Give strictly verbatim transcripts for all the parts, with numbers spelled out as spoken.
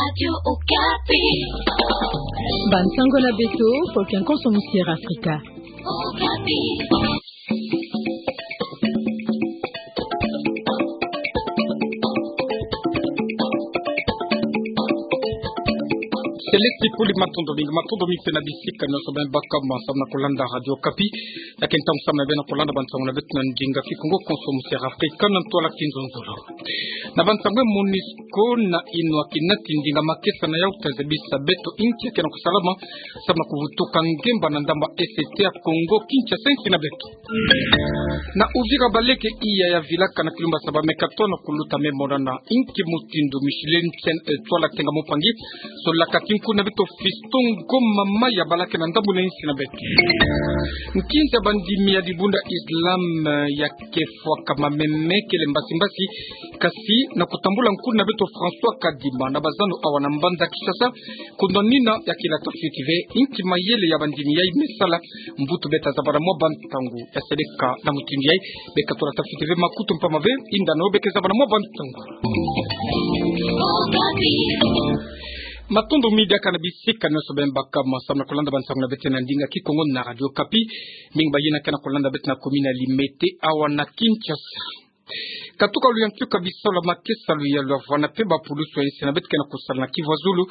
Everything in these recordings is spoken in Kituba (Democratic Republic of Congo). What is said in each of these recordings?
Radio Okapi. Bansango na beto, pour qu'un consommateur Africa. Okapi. Selesti Poli, matondo mingi, matondo mingi mpe na bisika nyonso beno bakama samu na kolanda Radio Okapi. Ya ke ntangu samu na beno kolanda bansango na beto na ndinga Kikongo, Consommateur Africa na ntwala kinzonzolo. Na bansango, MONUSCO na inwaki nati ndinga makesa na yau ta zabisa beto inki ya ke na kusalama samu na kuvutuka ngemba na ndambu ya Est ya Kongo Kinshasa, insi na beto. Na Uvira, baleke iya ya vilaka na kilumbu ya saba me katono kuluta me monana inki mutindu Micheline Chen, eh, Twala Tenga Mupangi, solaka kinku na beto Fiston Ngoma Maya, balaka na ndambu na insi na beto. Nkinza bandimi ya dibundu ya Islam, eh, ya ke fwakama meme kele mbasi mbasi, kasi na kutambula nkuna beto François Kadima na bazando awa na mbanza Kinshasa, kundwa nina ya ke lata fioti ve inki mayele ya bandimi yai me sala, mbutu beta zabana mwa bantangu ya seleka na mutindu yai. Beka tula ta fioti ve makutu mpama ve, inda no beka zabana mwa bantangu. Matondo mingi diaka na bisika nyonso beno bakama samu na kolanda bansango na beto na ndinga Kikongo na Radio Okapi. Mingi bayina ke na kolanda beto na commune ya Limete, awa na Kinshasa. Katuka luyantika bisalu ya makesa, luyalu ya vwanda mpe bapulusu ya insi na beto ke na kusala na Kivu ya Zulu,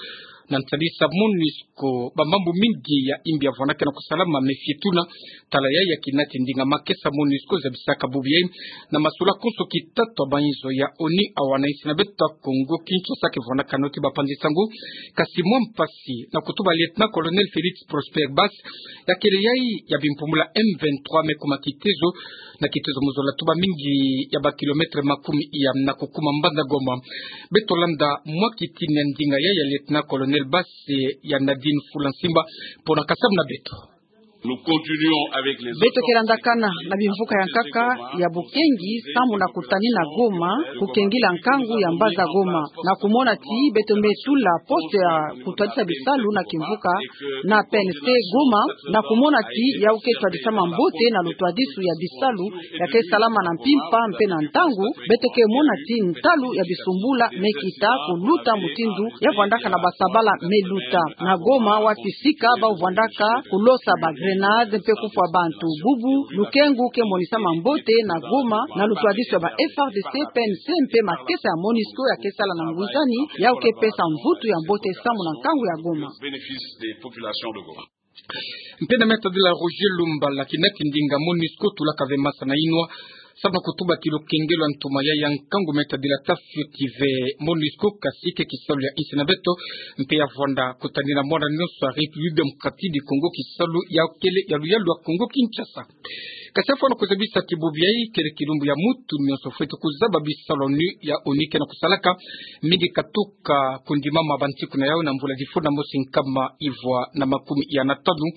na ntadisa MONUSCO, bamambu mingi ya imbi ya vwanda ke na kusalama, me fie tuna tala yai ya ke nati ndinga makesa MONUSCO zabisaka bubu yai, na masula konso kitatu ya banzo ya ONU awa na insi na beto Kongo Kinshasa ke vwandaka noti bapanzi nsangu. Kasi mwa mpasi na kutuba Lieutenant-colonel Félix Prosper Bass, ya kele yai ya bimpumbulu M vingt-trois me kuma kitezo, na kitezo mu zola tuba mingi ya bakilomètre makumi iya na kukuma mbanza Goma. Beto landa mwa kitini ya ndinga yai ya Lieutenant-colonel Bass, eh, ya Nadine Fulansimba, mpo na kasam na beto. Nous continuons avec les autres. Beto ke landakana na bimvuka ya nkaka ya bokengi samu na kutanina Goma, kukengila nkangu ya mbanza Goma, na kumona ti beto me tula poste ya kutwadisa bisalu na kimvuka na P N C Goma, na kumona ti yau ke twadisama mbote na lutwadisu ya bisalu ya ke salama na mpimpa mpe na ntangu. Beto ke mona ti ntalu ya bisumbula me kita kuluta mutindu ya vwandaka na basabala me luta. Na Goma, wapi sika bau vwandaka kulosa ba grenade mpe kufwa bantu. Bubu lukengu ke monisama mbote na Goma na lutwadisu ya ba F A R D C, P N C mpe makesa ya MONUSCO ya ke sala na ngwizani, yau ke pesa mvutu ya mbote samu na nkangu ya Goma. Bénéfice des populations de Goma. Mpe na Me Tadila Roger Lumbala, ki nati ndinga MONUSCO tulaka ve masa na inwa samu na kutuba ti lukengelo ya ntoma yai ya nkangu, Me Tadila, ta fioti ve MONUSCO, kasi ke kisalu ya insi na beto, mpe ya vwanda kutanina mwana nyonso ya République Démocratique du Congo kisalu ya kele ya luyalu ya Kongo Kinshasa. Kasi ya fwana kuzabisa ti bubu yai kele kilumbu ya mutu nyonso fweti kuzaba bisalu ya ONU, ya ONU ke na kusalaka, mingi katuka kundimama bantiku na yau na mvula difuna mosi nkama ivwa na makumi iya na tanu,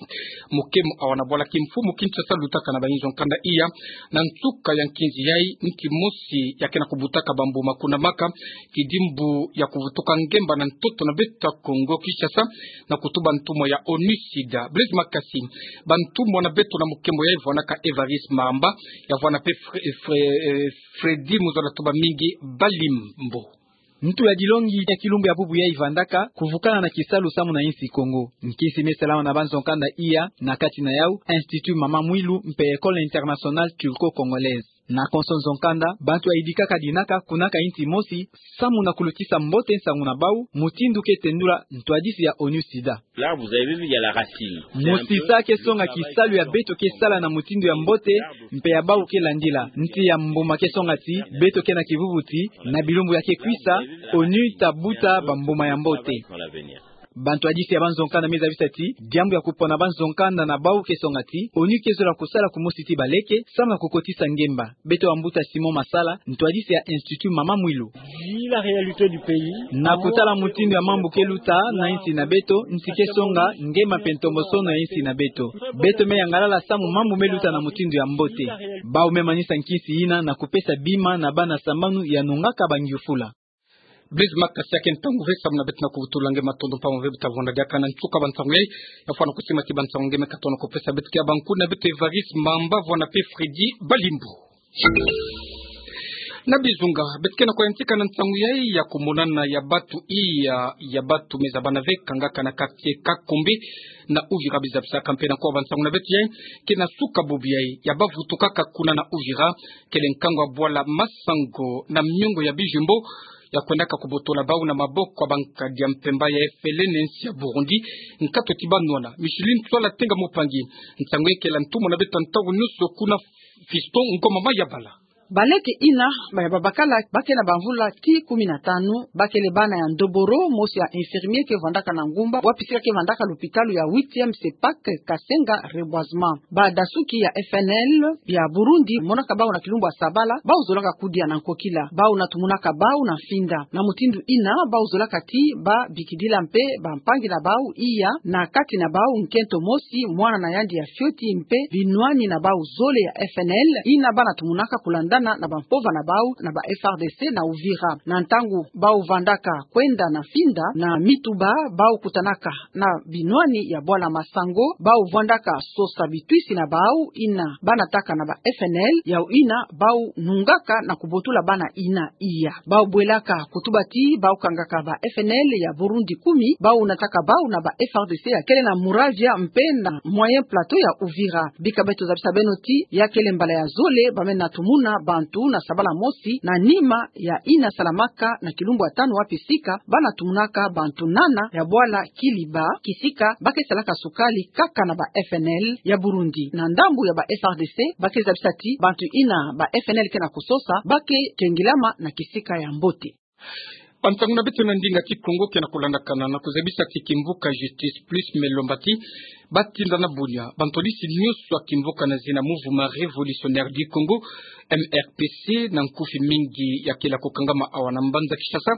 mukemo awa na bwala kimfumu Kinshasa lutaka na bayinzo nkanda iya, na nsuka ya nkinzi yai, nki mosi ya ke na kubutaka bambuma kuna maka, kidimbu ya kuvutuka ngemba na ntoto na beto Kongo Kinshasa, na kutuba ntumwa ya ONUSIDA. Blaise Makasi, bantumwa na beto na mukemo yai vwanaka Évariste Mamba, ya vwana mpe Fre-, Fre-, eh, Freddy, mu zola tuba mingi Balimbo. Ntu ya dilongi ya kilumbu ya bubu yai vandaka kuvukana na kisalu samu na insi Kongo. Nkinsi me salama na banzo nkanda iya, na kati na yau Institut Mama Mwilu mpe École Internationale Turco-Congolaise. Na konso nzo nkanda, bantu ya yidikaka dinaka kunaka insi mosi samu na kulutisa mbote nsangu na bau, mutindu ke tendula ntwadisi ya ONUSIDA. Là, vous avez vu, il y a la racine. Mosisa ke songa kisalu ya beto ke sala na mutindu ya mbote, mpe ya bau ke landila. Nti ya mbuma ke songa ti beto ke na kivuvu ti na bilumbu ya ke kwisa, ONU ta buta bambuma ya mbote. Bantwadisi ya banzo nkanda me zabisa ti diambu ya kupona banzo nkanda na bau ke songa ti ONU ke zola kusala kumosi ti baleke samu na kukotisa ngemba. Beto bambuta Simon Masala, ntwadisi ya Institut Mama Mwilu. Vu la réalité du pays, na kutala mutindu ya mambu ke luta na insi na beto, nti ke songa ngemba mpe ntombosono ya insi na beto. Beto me yangalala samu mambu me luta na mutindu ya mbote. Bau me manisa nkinsi yina na kupesa bima na bana sambanu ya nungaka bangiufula. Blaise Makasi, ya ke ntangu ve samu na beto na kuvutula nge. Matondo mpamba ve bu ta vwanda diaka na nsuka bansangu yai. Ya fwana kusima ti bansangu nge me katono kupesa beto ke ya bantu na beto Évariste Mamba vwana mpe Freddy Balimbo. Na bizunga, beto ke na kuyantika na nsangu yai ya kumonana ya batu iya, ya batu meza bana ve kangaka na quartier Kakombe na Uvira. Bizabisaka mpe na kuwa ba nsangu na beto yai ke na suka bubu yai ya bavutukaka kuna na Uvira, kele nkangu ya bwala Masango na miongo ya bijumbo ya kwendaka kubotola bau na maboko ya bankadi ya mpemba ya FLN na nsi ya Burundi. Nkatu ti banwana Micheline Ntwala Tenga Mupangi. Nsangu yai kele ntumwa na beto ntangu nyonso kuna Fiston Ngoma Mayabala. Baleke ina ba ya babakala ba ke na bamvula ti kumi na tanu, ba kele bana ya ndoboro, mosi ya infirmier ke vandaka na Ngumba, wa pisika ke vandaka lopitalo ya huitième CEPAC Kasenga Reboisement. Badasuki ya FNL ya Burundi monaka bau na kilumbu ya sabala, bau zolaka kudia na nkokila, bau na tumunaka bau na mfinda. Na mutindu ina bau zolaka ti ba bikidila mpe bampangi na bau iya, na kati na bau nkento mosi, mwana na yandi ya fioti mpe binwani na bau zole ya FNL, ina bana tumunaka kulandana na bampova na bau na ba FARDC na Uvira. Na ntangu bau vandaka kwenda na mfinda na mituba, bau kutanaka na binwani ya bwala Masango, bau vandaka sosa bitwisi na bau ina bana taka na ba FNL, yau ina bau nungaka na kubotula bana ina iya. Bau bwelaka kutuba ti bau kangaka ba FNL ya Burundi kumi, bau nataka bau na ba FARDC ya kele na Muravya mpe na Moyen Plateau ya Uvira. Bika beto zabisa beno ti ya kele mbala ya zole ba mena tumuna bantu na sabala mosi na nima ya ina salamaka na kilumbu ya tanu, wa pisika bana tumunaka bantu nana ya bwala Kiliba, kisika ba ke salaka sukali kaka na ba FNL ya Burundi. Na ndambu ya ba FARDC, ba ke zabisa ti bantu ina ba FNL ke na kusosa ba ke kengilama na kisika ya mbote. Ba nsangu na beto na ndinga Kikongo ke na kulandakana na kuzabisa ti kimvuka Justice Plus me lomba ti ba tinda na bunia bantwadisi nyonso ya kimvuka na zina Mouvement Révolutionnaire du Congo, MRPC, na nkufi mingi ya kele kukangama awa na mbanza Kinshasa.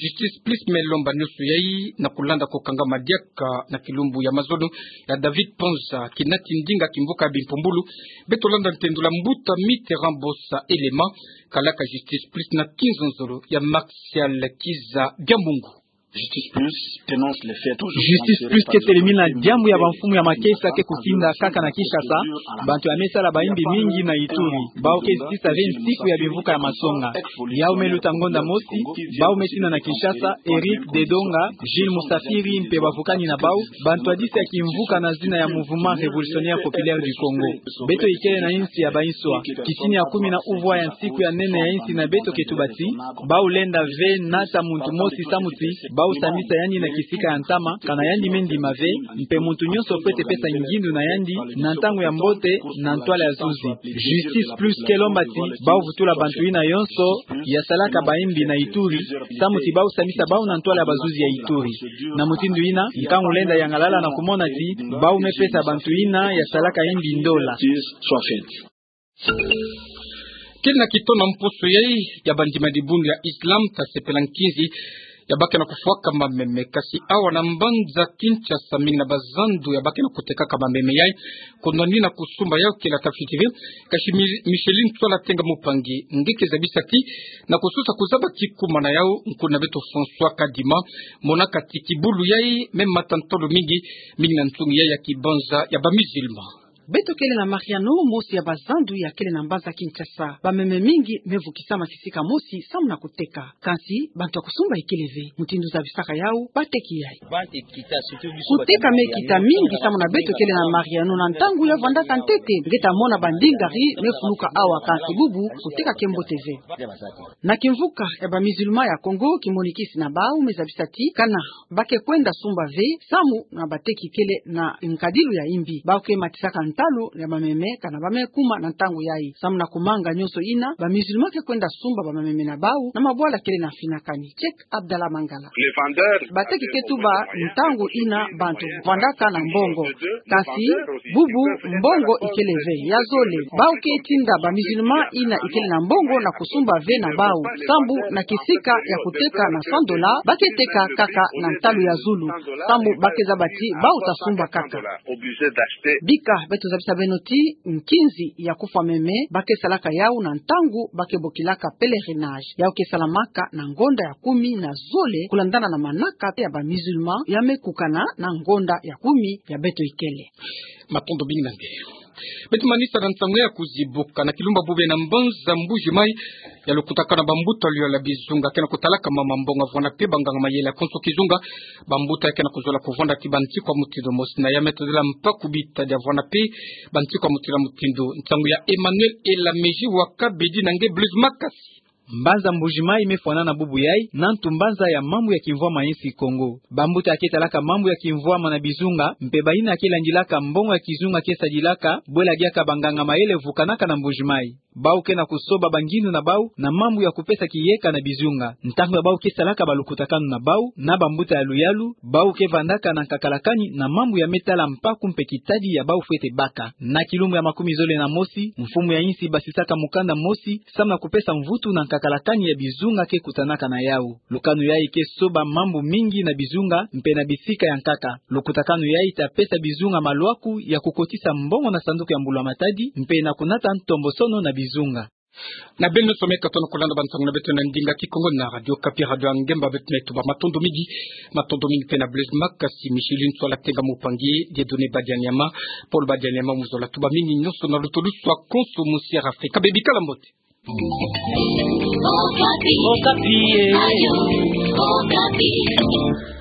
Justice Plus me lomba nyonso yai na kulanda kukangama diaka na kilumbu ya mazono ya David Panza, kinati ndinga kimvuka ya bimpumbulu. Beto landa ntendula mbuta Mitterrand Bossa Elema, kalaka Justice Plus na kinzonzolo ya Martial Kiza Diambungu. Justice Plus dénonce les faits toujours. Justice Plus ke telemina diambu ya bamfumu ya makesa ke kutinda kaka na Kinshasa. Bantu ya me sala bayimbi mingi na Ituri, bau ke zitisa ve nsiku ya bimvuka ya masonga. Yau me luta ngonda mosi, bau me tina na Kinshasa, Eric Dedonga, Jules Musafiri mpe bavukani na bau, bantwadisi ya kimvuka na zina ya Mouvement Révolutionnaire Populaire du Congo. Beto ikele na insi ya bainswa. Kisini ya kumi na uvwa ya nsiku ya nene ya insi na beto ke tuba ti bau lenda ve nata muntu mosi samu ti bau sambisa yandi na kisika ya ntama, kana yandi me ndima ve, mpe muntu nyonso fwete pesa ngindu na yandi na ntangu ya mbote, na ntwala ya zuzi. Justice Plus ke lomba ti bau vutula bantu ina yonso ya salaka bayimbi na Ituri, samu ti bau sambisa bau na ntwala ya bazuzi ya Ituri. Na mutindu ina, nkangu lenda yangalala na kumona ti bau me pesa bantu ina ya salaka yimbi ndola. Kele na kito na mposo yai ya bandima dibundu ya Islam, tasepela nkinzi ya ba ke na kufwaka mameme. Kasi awa na mbanza Kinshasa, mingi na bazandu ya ba ke na kutekaka mameme yai, kunwani na kusumba yau kele tafiti ve. Kasi Mi-, Micheline Ntwala Tenga Mupangi, nge ke zabisa ti na kusosa kuzaba ti kuma na yau, nkuna beto François Kadima monaka ti kibulu yai me mata ntolo mingi, mingi na nsungi yai ya kibanza ya ba musulman. Beto kele na Mariano, mosi ya bazandu ya kele na mbanza Kinshasa. Bameme mingi me vukisama kisika mosi samu na kuteka. Kansi bantu ya kusumba ikele ve. Mutindu zabisaka yau, bateki yai. Kuteka me kita mingi samu na beto kele na Mariano. Na ntangu ya vandaka ntete, nge ta mona bandingari me fuluka awa, kansi bubu kuteka ke mbote ve. Na kimvuka ya ba musulman ya Congo, kimonikisi na bau me zabisa ti kana ba ke kwenda sumba ve, samu na bateki kele na nkadilu ya imbi. Bau ke matisaka ntalu ya bameme kana ba me kuma na ntangu yai. Samu na kumanga nyonso ina, ba musulman ke kwenda sumba bameme na bau na mabwala kele na finakani. Cheikh Abdallah Mangala. Bateki ke tuba ntangu ina bantu vandaka na mbongo. Kansi bubu mbongo ikele ve. Ya zole, bau ke tinda ba musulman ina ikele na mbongo na kusumba ve na bau. Sambu na kisika ya kuteka na cent dollars, ba ke teka kaka na ntalu ya zulu. Sambu ba ke zaba ti bau ta sumba kaka. Bika beto zabisa beno ti nkinzi ya kufwa meme ba ke salaka yau na ntangu ba ke bokilaka pèlerinage. Yau ke salamaka na ngonda ya kumi na zole, kulandana na manaka ya ba musulman ya me kukana na ngonda ya kumi ya beto ikele. Matondo mingi na nge. Beto manisa na nsangu ya kuzibuka. Na kilumbu bubu na mbanza Mbuji Mayi, ya lukutakanu na bambuta ya luyala bizunga ke na kutalaka mama mbongo vwanape banganga mayele ya konso kizunga. Bambuta ya ke na kuzola kuvwanda ti bantikwa mutindu mosi na ya me tadila mpaku bitadi ya vwanape bantikwa mutindu mutindu. Nsangu ya Emmanuel Elameji wa Kabedi na nge Blaise Makasi. Mbanza Mbuji Mayi me fwanana bubu yayi na ntu mbanza ya mambu ya kimvwama ya insi Kongo. Bambuta ya ke talaka mambu ya kimvwama na bizunga, mpe bayina ya ke landilaka mbongo ya kizunga ke sadilaka, bwela diaka banganga mayele vukanaka na Mbuji Mayi. Bau ke na kusoba bangindu na bau na mambu ya kupesa kiyeka na bizunga. Ntangu ya bau ke salaka balukutakanu na bau na bambuta ya luyalu, bau ke vandaka na nkakalakani na mambu ya me tala mpaku mpe kitadi ya bau fwete baka. Na kilumbu ya makumi zole na mosi, mfumu ya insi basisaka mukanda mosi samu na kupesa mvutu na nkakalakani ya bizunga ke kutanaka na yau. Lukanu yayi ke soba mambu mingi na bizunga mpe na bisika ya nkaka. Lukutakanu yayi ta pesa bizunga malwaku ya kukotisa mbongo na sanduku ya mbulu ya matadi mpe na kunata ntombosono na bizunga. Na beno nyonso me katono kulanda bansangu na beto na ndinga Kikongo na Radio Okapi, radio ya ngemba. Beto me tuba matondo mingi, matondo mingi mpe na Blaise Makasi, Micheline Soala Tenga, Mupangi Dieudonné Badianyama, Paul Badianyama, muzola tuba mingi nyonso na lutulusu ya konso mu Sierra Africa. Bebikala mbote. Okapi. Okapi, eh. Radio Okapi.